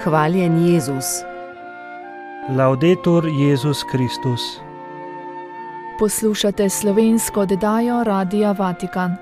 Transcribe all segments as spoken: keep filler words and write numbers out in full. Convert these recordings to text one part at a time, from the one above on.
Hvaljen Jezus. Laudetur Jezus Kristus. Poslušate slovensko oddajo Radia Vatikan.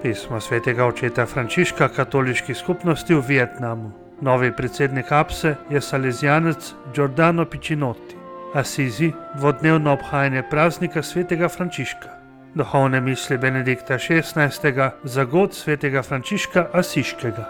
Pismo svetega očeta Frančiška katoliški skupnosti v Vietnamu. Novi predsednik APSE je salezijanec Giordano Piccinotti. Asizi, dvodnevno obhajanje praznika svetega Frančiška. Duhovne misli Benedikta šestnajstega za god svetega Frančiška Asiškega.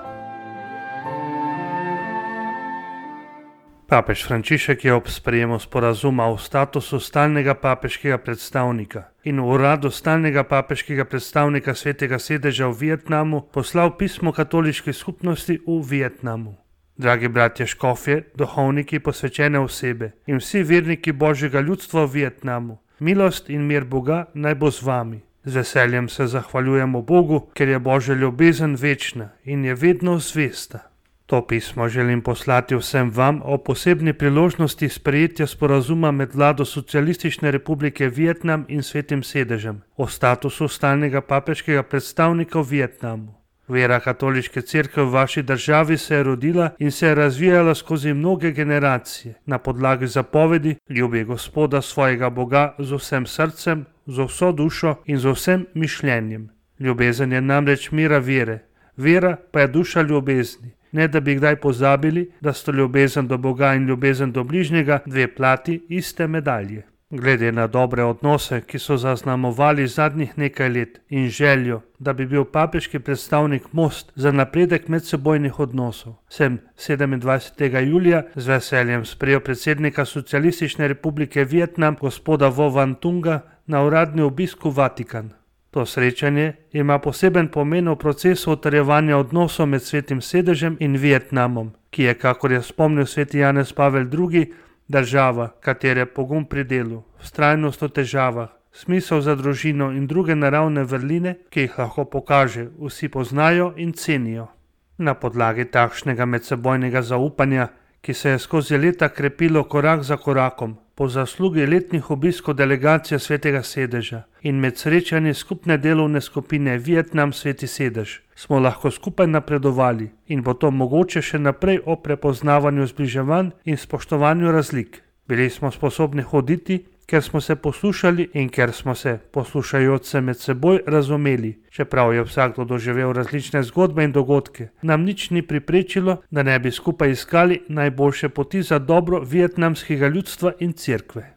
Papež Frančišek je ob sprejemu sporazuma o statusu stalnega papeškega predstavnika in v uradu stalnega papeškega predstavnika svetega sedeža v Vietnamu poslal pismo katoliški skupnosti v Vietnamu. Dragi bratje škofje, duhovniki, posvečene osebe in vsi verniki Božjega ljudstva v Vietnamu, milost in mir Boga naj bo z vami. Z veseljem se zahvaljujemo Bogu, ker je Božja ljubezen večna in je vedno zvesta. To pismo želim poslati vsem vam o posebni priložnosti sprejetja sporazuma med vlado Socialistične republike Vietnam in svetim sedežem o statusu stalnega papeškega predstavnika v Vietnamu. Vera katoliške cerkve v vaši državi se je rodila in se je razvijala skozi mnoge generacije na podlagi zapovedi ljubi Gospoda svojega Boga z vsem srcem, z vso dušo in z vsem mišljenjem. Ljubezen je namreč mira vere, vera pa je duša ljubezni. Ne da bi kdaj pozabili, da sta ljubezen do Boga in ljubezen do bližnjega dve plati iste medalje. Glede na dobre odnose, ki so zaznamovali zadnjih nekaj let in željo, da bi bil papeški predstavnik most za napredek medsebojnih odnosov, sem sedemindvajsetega julija z veseljem sprejel predsednika Socialistične republike Vietnam gospoda Vo Van Tunga na uradni obisk v Vatikan. To srečanje ima poseben pomen v procesu utrjevanja odnosov med svetim sedežem in Vietnamom, ki je, kakor je spomnil sveti Janez Pavel drugi, država, katere pogum pri delu, vztrajnost v težavah, smisel za družino in druge naravne vrline, ki jih lahko pokaže, vsi poznajo in cenijo. Na podlagi takšnega medsebojnega zaupanja, ki se je skozi leta krepilo korak za korakom, po zaslugi letnih obiskov delegacije svetega sedeža in med srečanji skupne delovne skupine Vietnam sveti sedež, smo lahko skupaj napredovali in bo to mogoče še naprej o prepoznavanju zbliževanj in spoštovanju razlik. Bili smo sposobni hoditi, ker smo se poslušali in ker smo se, poslušajoč se med seboj, razumeli. Čeprav je vsakdo doživel različne zgodbe in dogodke, nam nič ni priprečilo, da ne bi skupaj iskali najboljše poti za dobro vietnamskega ljudstva in cerkve.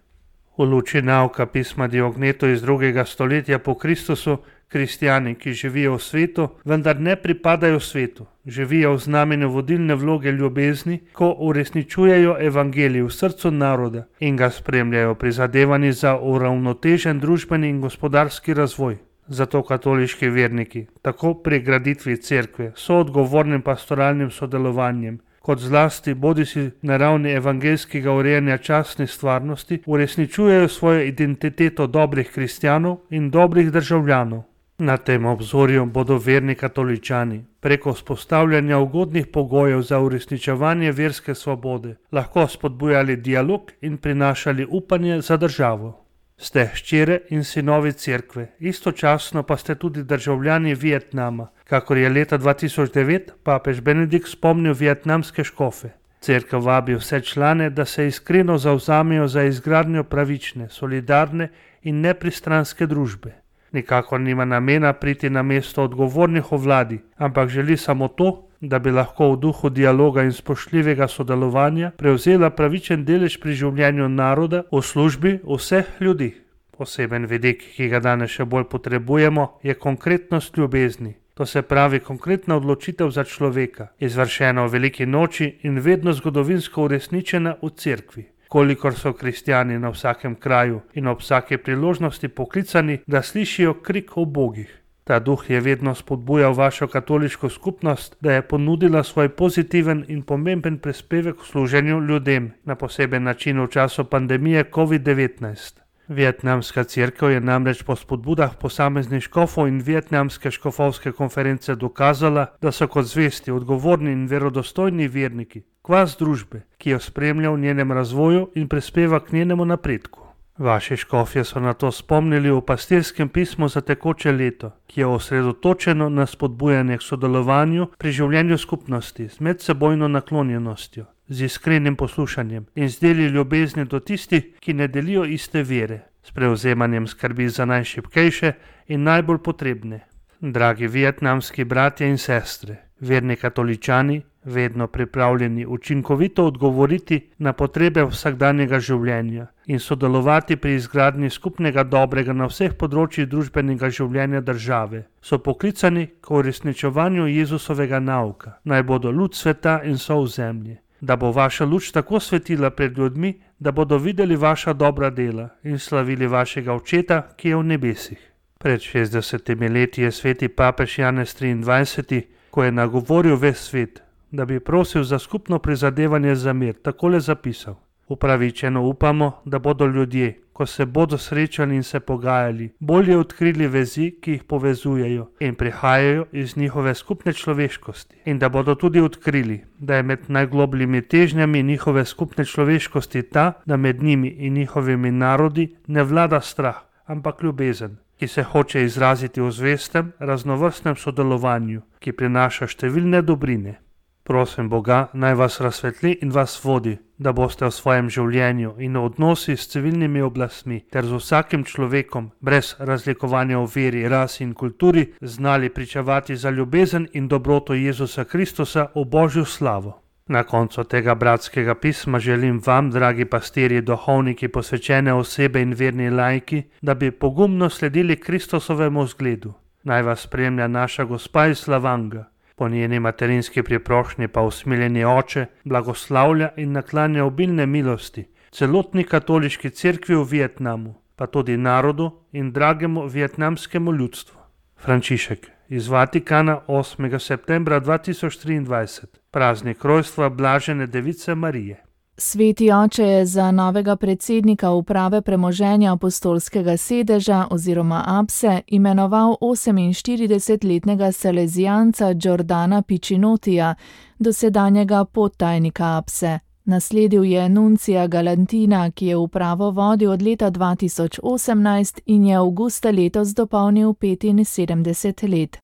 V luči nauka pisma Diogneto iz drugega stoletja po Kristusu, kristjani, ki živijo v svetu, vendar ne pripadajo svetu, živijo v znamenju vodilne vloge ljubezni, ko uresničujejo evangelij v srcu naroda in ga spremljajo prizadevanji za uravnotežen družbeni in gospodarski razvoj. Zato katoliški verniki, tako pri graditvi cerkve, so odgovornim pastoralnim sodelovanjem, kot zlasti bodisi na ravni evangeljskega urejanja častne stvarnosti, uresničujejo svojo identiteto dobrih kristjanov in dobrih državljanov. Na tem obzorju bodo verni katoličani preko vzpostavljanja ugodnih pogojev za uresničevanje verske svobode lahko spodbujali dialog in prinašali upanje za državo. Ste hčere in sinovi cerkve, istočasno pa ste tudi državljani Vietnama, kakor je leta dva tisoč devet papež Benedikt spomnil vietnamske škofe. Cerkev vabi vse člane, da se iskreno zavzamejo za izgradnjo pravične, solidarne in nepristranske družbe. Nikakor nima namena priti na mesto odgovornih v vladi, ampak želi samo to, da bi lahko v duhu dialoga in spoštljivega sodelovanja prevzela pravičen delež pri življenju naroda v službi vseh ljudi. Poseben vidik, ki ga danes še bolj potrebujemo, je konkretnost ljubezni. To se pravi konkretna odločitev za človeka, izvršena v veliki noči in vedno zgodovinsko uresničena v cerkvi. Kolikor so kristjani na vsakem kraju in ob vsake priložnosti poklicani, da slišijo krik o bogih. Ta duh je vedno spodbujal vašo katoliško skupnost, da je ponudila svoj pozitiven in pomemben prispevek v služenju ljudem, na poseben način v času pandemije covid devetnajst. Vietnamska cerkev je namreč po spodbudah posameznih škofov in vietnamske škofovske konference dokazala, da so kot zvesti, odgovorni in verodostojni verniki, kvas družbe, ki jo spremlja v njenem razvoju in prispeva k njenemu napredku. Vaši škofje so na to spomnili v pastirskem pismu za tekoče leto, ki je osredotočeno na spodbujanje k sodelovanju pri življenju skupnosti z medsebojno naklonjenostjo, z iskrenim poslušanjem in z deli ljubezni do tistih, ki ne delijo iste vere, s prevzemanjem skrbi za najšibkejše in najbolj potrebne. Dragi vietnamski bratje in sestre, verni katoličani, vedno pripravljeni učinkovito odgovoriti na potrebe vsakdanjega življenja in sodelovati pri izgradnji skupnega dobrega na vseh področjih družbenega življenja države, so poklicani k uresničevanju Jezusovega nauka, naj bodo luč sveta in sol zemlje, da bo vaša luč tako svetila pred ljudmi, da bodo videli vaša dobra dela in slavili vašega Očeta, ki je v nebesih. Pred šestdesetimi leti je sveti papež Janez triindvajseti, ko je nagovoril ves svet, da bi prosil za skupno prizadevanje za mir, takole zapisal: Upravičeno upamo, da bodo ljudje, ko se bodo srečali in se pogajali, bolje odkrili vezi, ki jih povezujejo in prihajajo iz njihove skupne človeškosti, in da bodo tudi odkrili, da je med najglobljimi težnjami njihove skupne človeškosti ta, da med njimi in njihovimi narodi ne vlada strah, ampak ljubezen, ki se hoče izraziti v zvestem, raznovrstnem sodelovanju, ki prinaša številne dobrine. Prosim Boga, naj vas razsvetli in vas vodi, da boste v svojem življenju in v odnosi s civilnimi oblastmi ter z vsakim človekom, brez razlikovanja v veri, rasi in kulturi, znali pričevati za ljubezen in dobroto Jezusa Kristusa v Božjo slavo. Na koncu tega bratskega pisma želim vam, dragi pastirji, duhovniki, posvečene osebe in verni laiki, da bi pogumno sledili Kristusovemu zgledu. Naj vas spremlja naša Gospa iz Slavanga, po njeni materinski priprošnji pa usmiljeni Oče blagoslavlja in naklanja obilne milosti celotni katoliški cerkvi v Vietnamu, pa tudi narodu in dragemu vietnamskemu ljudstvu. Frančišek iz Vatikana, osmega septembra dva tisoč triindvajset, praznik rojstva blažene device Marije. Sveti oče je za novega predsednika uprave premoženja apostolskega sedeža oziroma Apse imenoval oseminštiridesetletnega salezijanca Giordana Piccinotija, dosedanjega podtajnika Apse. Nasledil je nuncija Galantina, ki je upravo vodil od leta dva tisoč osemnajst in je avgusta letos dopolnil petinsedemdeset let.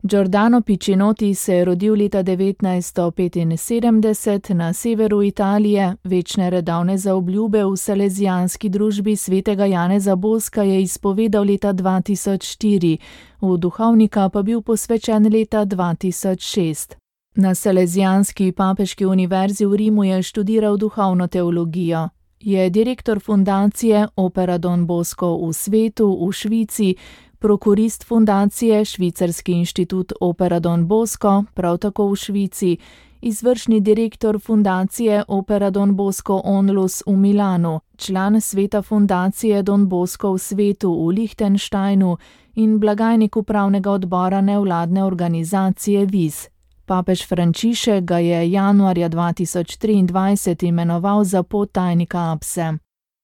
Giordano Piccinoti se je rodil leta devetnajststo petinsedemdeset na severu Italije, večne redovne zaobljube v salezijanski družbi svetega Janeza Boska je izpovedal leta dva tisoč štiri, v duhovnika pa bil posvečen leta dva tisoč šest. Na Salezijanski papeški univerzi v Rimu je študiral duhovno teologijo. Je direktor fundacije Opera Don Bosco v svetu v Švici, prokurist fundacije Švicarski inštitut Opera Don Bosco, prav tako v Švici, izvršni direktor fundacije Opera Don Bosco Onlus v Milanu, član sveta fundacije Don Bosco v svetu v Lichtensteinu in blagajnik upravnega odbora nevladne organizacije Viz. Papež Frančišek ga je januarja dva tisoč triindvajset imenoval za podtajnika Apse.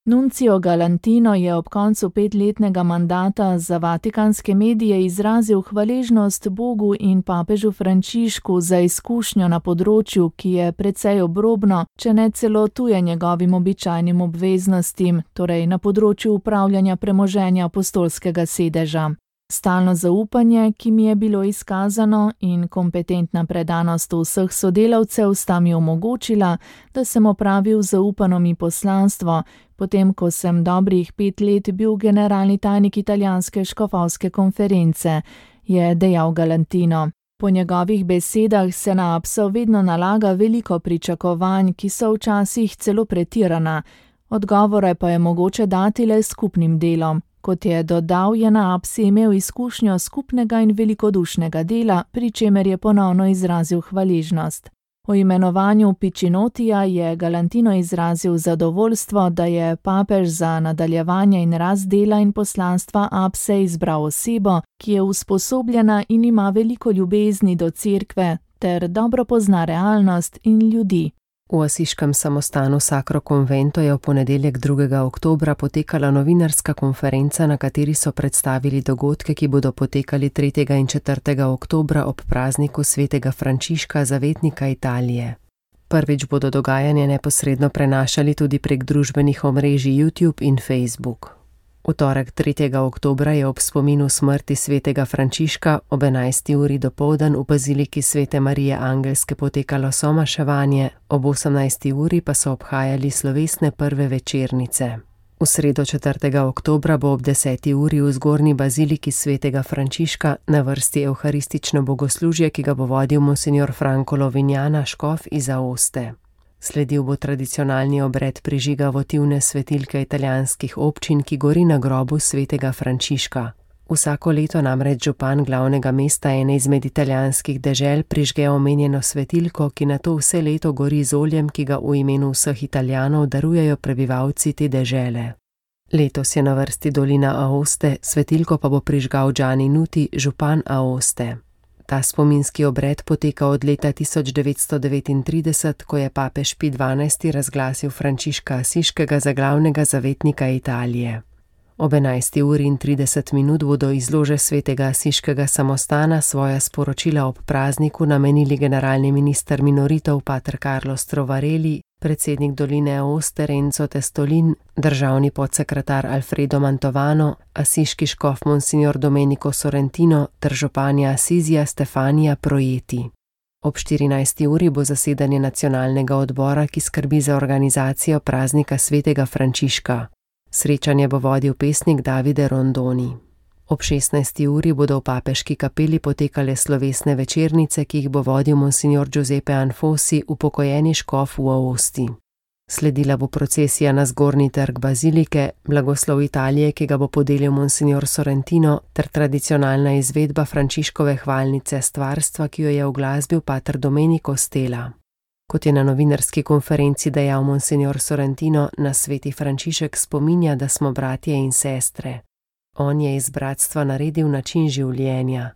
Nuncio Galantino je ob koncu petletnega mandata za vatikanske medije izrazil hvaležnost Bogu in papežu Frančišku za izkušnjo na področju, ki je precej obrobno, če ne celo tuje njegovim običajnim obveznostim, torej na področju upravljanja premoženja apostolskega sedeža. Stalno zaupanje, ki mi je bilo izkazano, in kompetentna predanost vseh sodelavcev sta mi omogočila, da sem opravil zaupano mi poslanstvo, potem ko sem dobrih pet let bil generalni tajnik italijanske škofovske konference, je dejal Galantino. Po njegovih besedah se na Apso vedno nalaga veliko pričakovanj, ki so včasih celo pretirana, odgovore pa je mogoče dati le skupnim delom. Kot je dodal, je na Apsi imel izkušnjo skupnega in velikodušnega dela, pri čemer je ponovno izrazil hvaležnost. O imenovanju Piccinotija je Galantino izrazil zadovoljstvo, da je papež za nadaljevanje in rast dela in poslanstva Apse izbral osebo, ki je usposobljena in ima veliko ljubezni do cerkve, ter dobro pozna realnost in ljudi. V asiškem samostanu Sacro Convento je v ponedeljek drugega oktobra potekala novinarska konferenca, na kateri so predstavili dogodke, ki bodo potekali tretjega in četrtega oktobra ob prazniku svetega Frančiška, zavetnika Italije. Prvič bodo dogajanje neposredno prenašali tudi prek družbenih omrežij YouTube in Facebook. V torek tretjega oktobra je ob spominu smrti svetega Frančiška ob enajsti uri dopoldan v baziliki Svete Marije Angelske potekalo somaševanje, ob osemnajsti uri pa so obhajali slovesne prve večernice. V sredo četrtega oktobra bo ob deseti uri v zgornji baziliki svetega Frančiška na vrsti evharistično bogoslužje, ki ga bo vodil monsinjor Franko Lovinjana, škof iz Aoste. Sledil bo tradicionalni obred prižiga votivne svetilke italijanskih občin, ki gori na grobu svetega Frančiška. Vsako leto namreč župan glavnega mesta ene izmed italijanskih dežel prižge omenjeno svetilko, ki nato vse leto gori z oljem, ki ga v imenu vseh Italijanov darujejo prebivalci te dežele. Letos je na vrsti dolina Aoste, svetilko pa bo prižgal Gianni Nuti, župan Aoste. Ta spominski obred poteka od leta tisoč devetsto devetintrideset, ko je papež Pij dvanajsti razglasil Frančiška Asiškega za glavnega zavetnika Italije. Ob enajsti uri in trideset minut bodo iz lože svetega Asiškega samostana svoja sporočila ob prazniku namenili generalni minister minoritov pater Carlo Strovareli, predsednik doline Aoste Renzo Testolin, državni podsekretar Alfredo Mantovano, asiški škof monsignor Domenico Sorrentino ter županja Asizija Stefania Projeti. Ob štirinajsti uri bo zasedanje nacionalnega odbora, ki skrbi za organizacijo praznika svetega Frančiška. Srečanje bo vodil pesnik Davide Rondoni. Ob šestnajsti uri bodo v papeški kapeli potekale slovesne večernice, ki jih bo vodil monsignor Giuseppe Anfosi, upokojeni škof v Aosti. Sledila bo procesija na zgornji trg bazilike, blagoslov Italije, ki ga bo podelil monsignor Sorrentino, ter tradicionalna izvedba Frančiškove hvalnice stvarstva, ki jo je uglasbil pater Domenico Stella. Kot je na novinarski konferenci dejal monsignor Sorrentino, nas sveti Frančišek spominja, da smo bratje in sestre. On je iz bratstva naredil način življenja.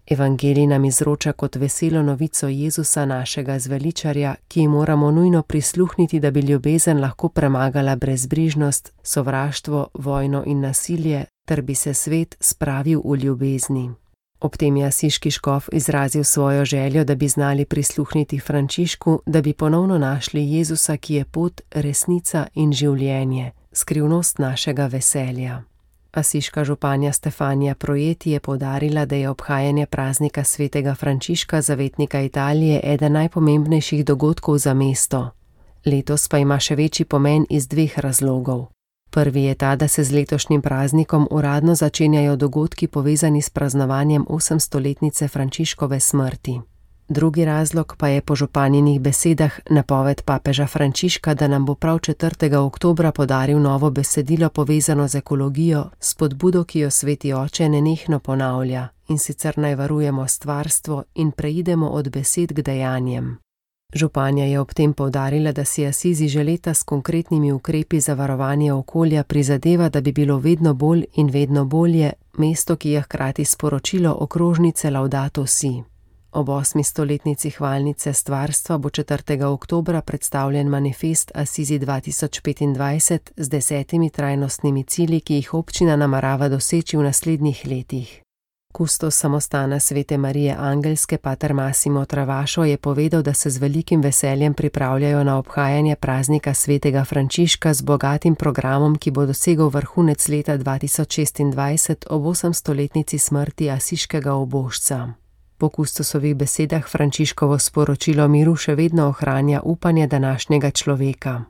Evangelij nam izroča kot veselo novico Jezusa, našega zveličarja, ki ji moramo nujno prisluhniti, da bi ljubezen lahko premagala brezbrižnost, sovraštvo, vojno in nasilje, ter bi se svet spravil v ljubezni. Ob tem je asiški škof izrazil svojo željo, da bi znali prisluhniti Frančišku, da bi ponovno našli Jezusa, ki je pot, resnica in življenje, skrivnost našega veselja. Asiška županja Stefania Projeti je poudarila, da je obhajanje praznika svetega Frančiška, zavetnika Italije, eden najpomembnejših dogodkov za mesto. Letos pa ima še večji pomen iz dveh razlogov. Prvi je ta, da se z letošnjim praznikom uradno začenjajo dogodki povezani s praznovanjem osemstoletnice Frančiškove smrti. Drugi razlog pa je po županjinih besedah napoved papeža Frančiška, da nam bo prav četrtega oktobra podaril novo besedilo povezano z ekologijo, spodbudo, ki jo sveti oče nenehno ponavlja, in sicer naj varujemo stvarstvo in preidemo od besed k dejanjem. Županja je ob tem poudarila, da si Asizi že leta s konkretnimi ukrepi za varovanje okolja prizadeva, da bi bilo vedno bolj in vedno bolje mesto, ki je hkrati sporočilo okrožnice Laudato Si. Ob osmi stoletnici hvalnice stvarstva bo četrtega oktobra predstavljen manifest Asizi dva tisoč petindvajset z desetimi trajnostnimi cilji, ki jih občina namerava doseči v naslednjih letih. Kustos samostana Svete Marije Angelske pater Massimo Travašo je povedal, da se z velikim veseljem pripravljajo na obhajanje praznika svetega Frančiška z bogatim programom, ki bo dosegel vrhunec leta dva tisoč šestindvajset ob osemstoletnici smrti asiškega ubožca. Po Kustosovih besedah Frančiškovo sporočilo miru še vedno ohranja upanje današnjega človeka.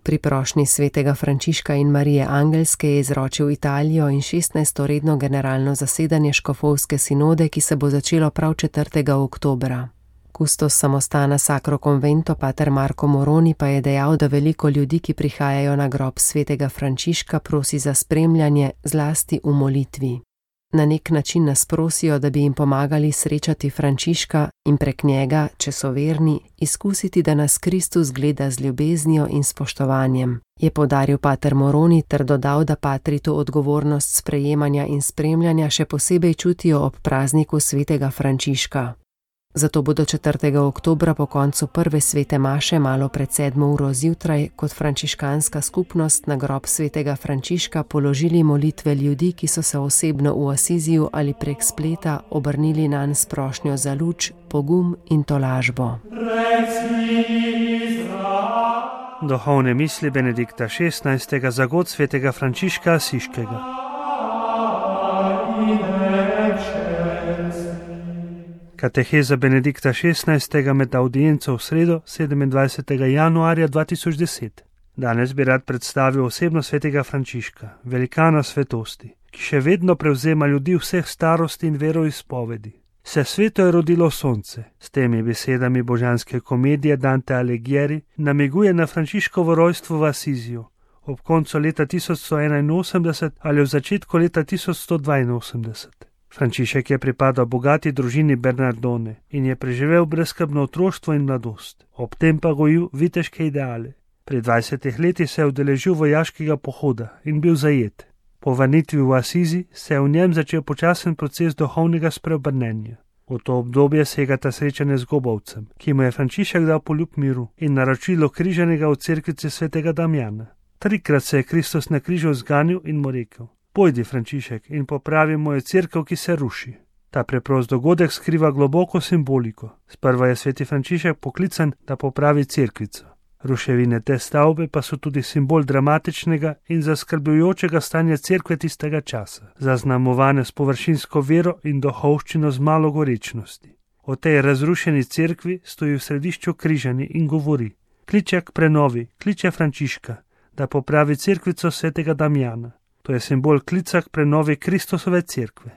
Pri prošnji svetega Frančiška in Marije Angelske je izročil Italijo in šestnajsto redno generalno zasedanje škofovske sinode, ki se bo začelo prav četrtega oktobra. Kustos samostana Sacro Convento pater Marko Moroni pa je dejal, da veliko ljudi, ki prihajajo na grob svetega Frančiška, prosi za spremljanje, zlasti v molitvi. Na nek način nas prosijo, da bi jim pomagali srečati Frančiška in prek njega, če so verni, izkusiti, da nas Kristus gleda z ljubeznijo in spoštovanjem, je poudaril pater Moroni ter dodal, da patri to odgovornost sprejemanja in spremljanja še posebej čutijo ob prazniku svetega Frančiška. Zato bodo četrtega oktobra po koncu prve svete maše malo pred sedmo uro zjutraj kot frančiškanska skupnost na grob svetega Frančiška položili molitve ljudi, ki so se osebno v Asiziju ali prek spleta obrnili nanj s prošnjo za luč, pogum in tolažbo. Duhovne misli Benedikta šestnajstega za god svetega Frančiška Asiškega. Kateheza Benedikta šestnajstega med audienco v sredo sedemindvajsetega januarja dva tisoč deset. Danes bi rad predstavil osebnost svetega Frančiška, velikana svetosti, ki še vedno prevzema ljudi vseh starosti in veroizpovedi. Se sveto je rodilo sonce, s temi besedami božanske komedije Dante Alighieri namiguje na Frančiškovo rojstvo v Asiziju, ob koncu leta tisoč sto enainosemdeset ali v začetku leta tisoč sto dvainosemdeset. Frančišek je pripadal bogati družini Bernardone in je preživel brezskrbno otroštvo in mladost, ob tem pa gojil viteške ideale. Pri dvajsetih letih se je udeležil vojaškega pohoda in bil zajet. Po vrnitvi v Asizi se je v njem začel počasen proces duhovnega spreobrnenja. V to obdobje segata srečanje z Gobovcem, ki mu je Frančišek dal poljub miru in naročilo križanega v cerkvici svetega Damjana. Trikrat se je Kristus na križu zganil in mu rekel: Pojdi, Frančišek, in popravi mojo cerkev, ki se ruši. Ta preprost dogodek skriva globoko simboliko. Sprva je sveti Frančišek poklican, da popravi cerkvico. Ruševine te stavbe pa so tudi simbol dramatičnega in zaskrbljujočega stanja cerkve tistega časa, zaznamovane s površinsko vero in duhovščino z malo gorečnosti. O tej razrušeni cerkvi stoji v središču križani in govori: kliče k prenovi, kliče Frančiška, da popravi cerkvico svetega Damjana. To je simbol klica k prenovi Kristusove cerkve.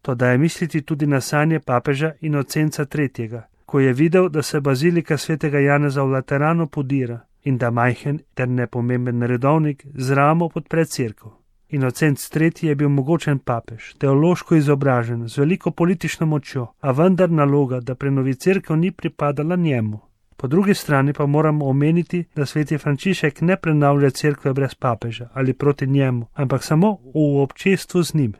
To daje misliti tudi na sanje papeža Inocenca tretjega, ko je videl, da se bazilika svetega Janeza v Lateranu podira in da majhen ter nepomemben redovnik z ramo podpre cerkev. Inocenc tretji je bil mogočen papež, teološko izobražen, z veliko politično močjo, a vendar naloga, da prenovi cerkev, ni pripadala njemu. Po drugi strani pa moramo omeniti, da sveti Frančišek ne prenavlja cerkve brez papeža ali proti njemu, ampak samo v občestvu z njim.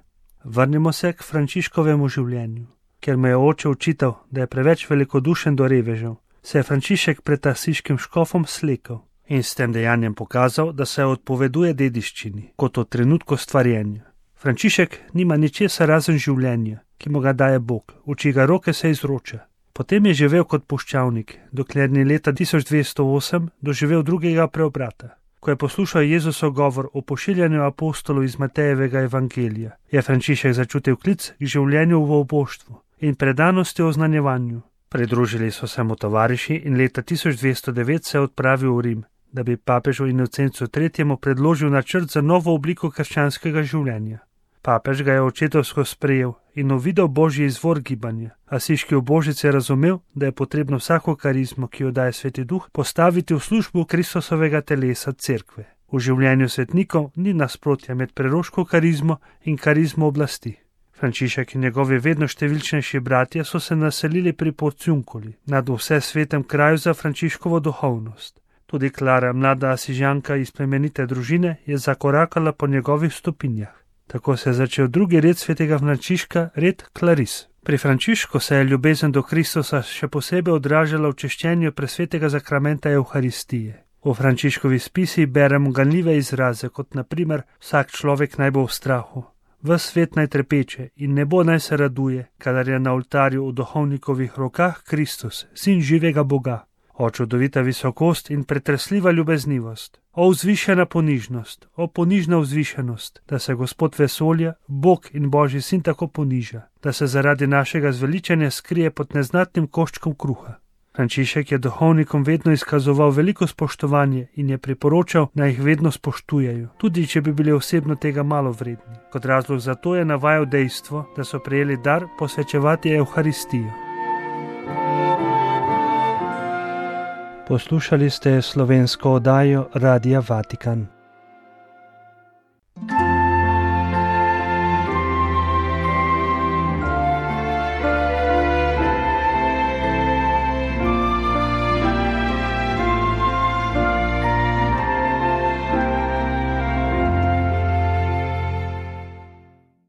Vrnimo se k Frančiškovemu življenju. Ker me je oče učital, da je preveč velikodušen do revežev, se je Frančišek pred asiškim škofom slekal in s tem dejanjem pokazal, da se odpoveduje dediščini, kot od trenutku stvarjenja. Frančišek nima ničesar razen življenja, ki mu ga daje Bog, v čigar roke se izroča. Potem je živel kot puščavnik, dokler ni leta tisoč dvesto osem doživel drugega preobrata. Ko je poslušal Jezusov govor o pošiljanju apostolov iz Matejevega evangelija, je Frančišek začutil klic k življenju v oboštvu in predanosti oznanjevanju. Pridružili so se mu tovariši in leta tisoč dvesto devet se je odpravil v Rim, da bi papežu Inocencu tretjemu predložil načrt za novo obliko krščanskega življenja. Papež ga je očetovsko sprejel in uvidel božji izvor gibanja. Asiški ubožec je razumel, da je potrebno vsako karizmo, ki jo daje Sveti Duh, postaviti v službo Kristusovega telesa cerkve. V življenju svetnikov ni nasprotja med preroško karizmo in karizmo oblasti. Frančišek in njegovi vedno številčnejši bratje so se naselili pri Porciunkuli, nad vse svetem kraju za Frančiškovo duhovnost. Tudi Klara, mlada asižanka iz plemenite družine, je zakorakala po njegovih stopinjah. Tako se je začel drugi red svetega Frančiška, red Klaris. Pri Frančišku se je ljubezen do Kristusa še posebej odražala v češčenju presvetega zakramenta Evharistije. V Frančiškovi spisi beremo ganljive izraze, kot na primer: vsak človek naj bo v strahu, ves svet naj trepeče in nebo naj se raduje, kadar je na oltarju v duhovnikovih rokah Kristus, sin živega Boga. O čudovita visokost in pretresljiva ljubeznivost, o vzvišena ponižnost, o ponižna vzvišenost, da se Gospod vesolja, Bog in Božji sin tako poniža, da se zaradi našega zveličanja skrije pod neznatnim koščkom kruha. Frančišek je duhovnikom vedno izkazoval veliko spoštovanje in je priporočal, naj jih vedno spoštujejo, tudi če bi bili osebno tega malo vredni. Kot razlog za to je navajal dejstvo, da so prejeli dar posvečevati Evharistijo. Poslušali ste slovensko oddajo Radia Vatikan.